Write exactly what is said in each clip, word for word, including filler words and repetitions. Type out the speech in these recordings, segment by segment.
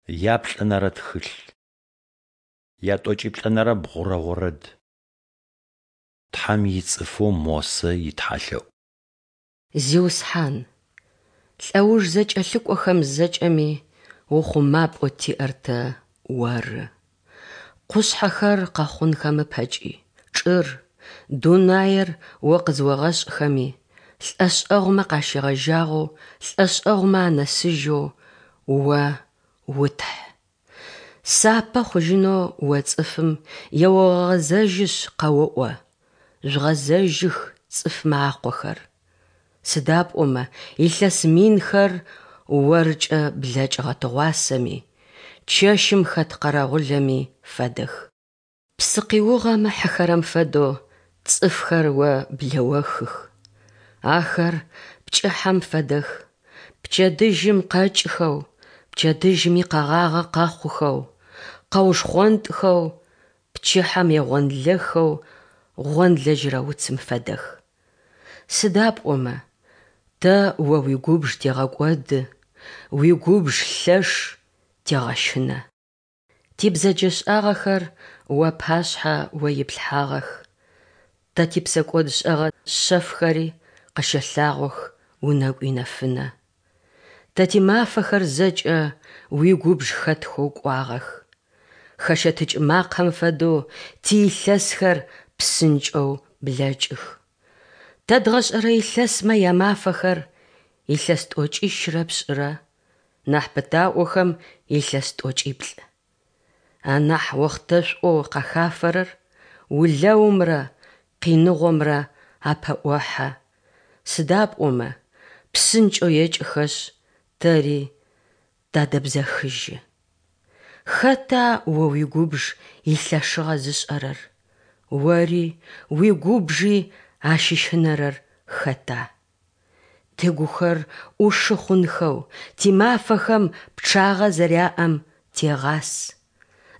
Яплӏэнэрэ тхылъ. Ятӏокӏиплӏэнэрэ бгъурэ орэд. Тхьэм ицӏыфэу Мосэ итхьэлъэӏу. Зиусхьан, лӏэуж зэкӏэлъыкӏохэм зэкӏэми ухъумапӏэу тиӏэр тэ Оры. Къушъхьэхэр къэхъунхэм ыпэкӏи, чӏыр, дунаер О къызыогъэшӏхэми, лӏэшӏэгъумэ къащегъэжьагъэу лӏэшӏэгъумэ анэсыжьэу О у-Тхь. Сапэ хъужьынэу О цӏыфым еогъэгъэзэжьышъ къэоӏо: «Жъугъэзэжьых, цӏыфмэ акъохэр!» Сыда пӏомэ илъэс минхэр Оркӏэ блэкӏыгъэ тыгъуасэми, чэщым хэт къэрэгъулэми фэдэх. Псы къиугъэм ыхьыхэрэм фэдэу цӏыфхэр О блэохых. Ахэр пкӏыхьэм фэдэх, пчэдыжьым къэкӏхэу, пчэдыжьыми къэгъагъэ къэхъухэу, къэушхъонтӏхэу, пчыхьэм егъонлэхэу гъонлэжьырэ уцым фэдэх. Сыда пӏомэ тэ О уигубж тегъэкӏоды, уигубж лъэш тегъэщынэ. Тибзэджэшӏагъэхэр Уапашъхьэ О иплъхьагъэх, тэ типсэкӏодшӏэгъэ шъэфхэри къыщэлъагъох унэгу инэфынэ. Тэ тимафэхэр зэкӏэ уигубж хэтхэу кӏуагъэх. Хэщэтыкӏ макъэм фэдэу тиилъэсхэр псынкӏэу блэкӏых. Тэ дгъэшӏэрэ илъэсмэ ямафэхэр илъэс тӏокӏищрэ пшӏырэ, нахь пытаӏохэм илъэс тӏокӏиплӏ. Анахь охътэшӏоу къахафэрэр улэумрэ къиныгъомрэ апэӏохьэ, сыда пӏомэ псынкӏэу екӏыхэшъ, тэри тадэбзэхыжьы. Хэта О уигубж илъэшыгъэ зышӏэрэр, Ори уигубжи ащыщынэрэр хэта? Тыгухэр ӏушы хъунхэу, тимафэхэм пчъагъэ зэряӏэм тегъас.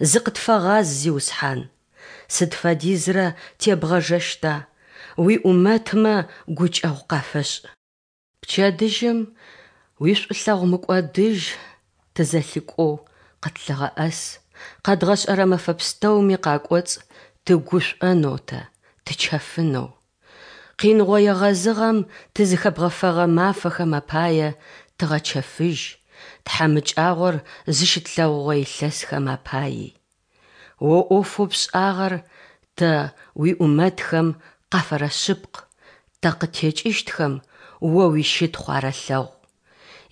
Зыкъытфэгъаз, Зиусхьан! Сыд фэдизрэ тебгъэжэщта? Уиӏумэтмэ гукӏэгъу къафэшӏ. Пчэдыжьым уишӏулъэгъу мыкӏодыжь тызэлъикӏоу къытлъыгъэӏэс, къэдгъэшӏэрэ мэфэ пстэуми къакӏоцӏ тыгушӏонэу тэ, тычэфынэу. Къиныгъо егъэзыгъэм тызыхэбгъэфэгъэ мафэхэм апае тыгъэчэфыжь, тхьамыкӏагъор зыщытлъэгъугъэ илъэсхэм апаий. О ӏофэу пшӏагъэр тэ уиӏумэтхэм къафэрэшъыпкъ, тэ къыттекӏыщтхэм О уищытхъу арэлъэгъу.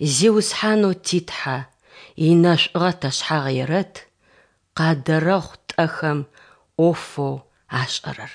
Зиусхьанэу ти Тхьэ, инэшӏугъэ ташъхьагъ ерэт, къадэрэхъу тӏэхэм ӏофэу ашӏэрэр.